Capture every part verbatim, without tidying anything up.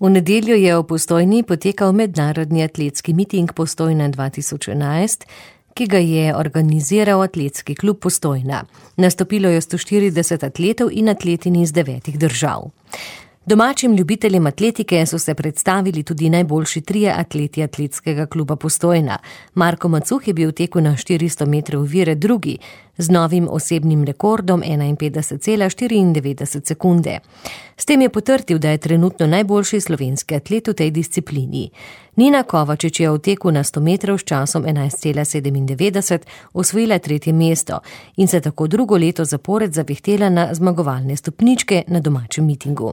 V nedeljo je v Postojni potekal mednarodni atletski miting Postojna dva tisoč enajst, ki ga je organiziral Atletski klub Postojna. Nastopilo je sto štirideset atletov in atletinj iz devetih držav. Domačim ljubiteljem atletike so se predstavili tudi najboljši trije atleti Atletskega kluba Postojna. Marko Macuh je bil v teku na štiristo metrov ovire drugi, z novim osebnim rekordom enainpetdeset cela štiriindevetdeset sekunde. S tem je potrdil, da je trenutno najboljši slovenski atlet v tej disciplini. Nina Kovačič je v teku na sto metrov s časom enajst cela sedemindevetdeset osvojila tretje mesto in se tako drugo leto zapored zavihtela na zmagovalne stopničke na domačem mitingu.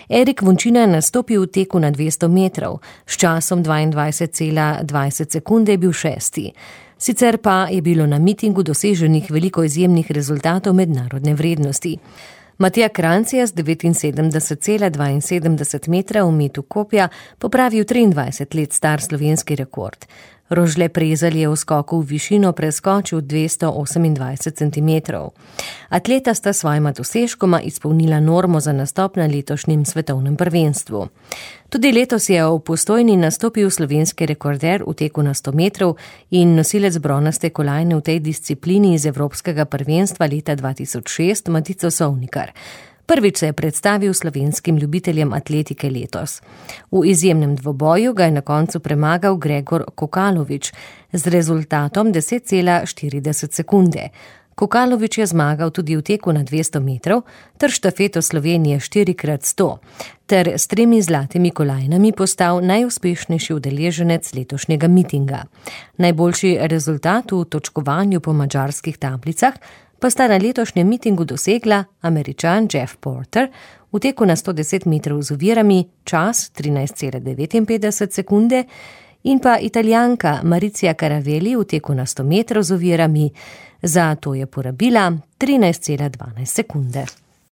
Erik Vončina je nastopil v teku na dvesto metrov, s časom dvaindvajset cela dvajset sekunde je bil šesti. Sicer pa je bilo na mitingu doseženih veliko izjemnih rezultatov mednarodne vrednosti. Matija Kranjc je z devetinsedemdeset cela dvainsedemdeset metra v metu kopja popravil triindvajset let star slovenski rekord. Rožle Prezelj je v skoku v višino preskočil dvesto osemindvajset centimetrov. Atleta sta svojima dosežkoma izpolnila normo za nastop na letošnjem svetovnem prvenstvu. Tudi letos je v Postojni nastopil slovenski rekorder v teku na sto metrov in nosilec bronaste kolajne v tej disciplini iz Evropskega prvenstva leta dva tisoč šest Matico Sovnikar. Prvič se je predstavil slovenskim ljubiteljem atletike letos. V izjemnem dvoboju ga je na koncu premagal Gregor Kokalovič z rezultatom deset cela štirideset sekunde. Kokalovič je zmagal tudi v teku na dvesto metrov ter štafeto Slovenije štiri krat sto ter s tremi zlatimi kolajnami postal najuspešnejši udeleženec letošnjega mitinga. Najboljši rezultat v točkovanju po madžarskih tablicah pa sta na letošnjem mitingu dosegla Američan Jeff Porter v teku na sto deset metrov z ovirami, čas trinajst cela devetinpetdeset sekunde, in pa Italijanka Maricija Caraveli v teku na sto metrov z ovirami, za to je porabila trinajst cela dvanajst sekunde.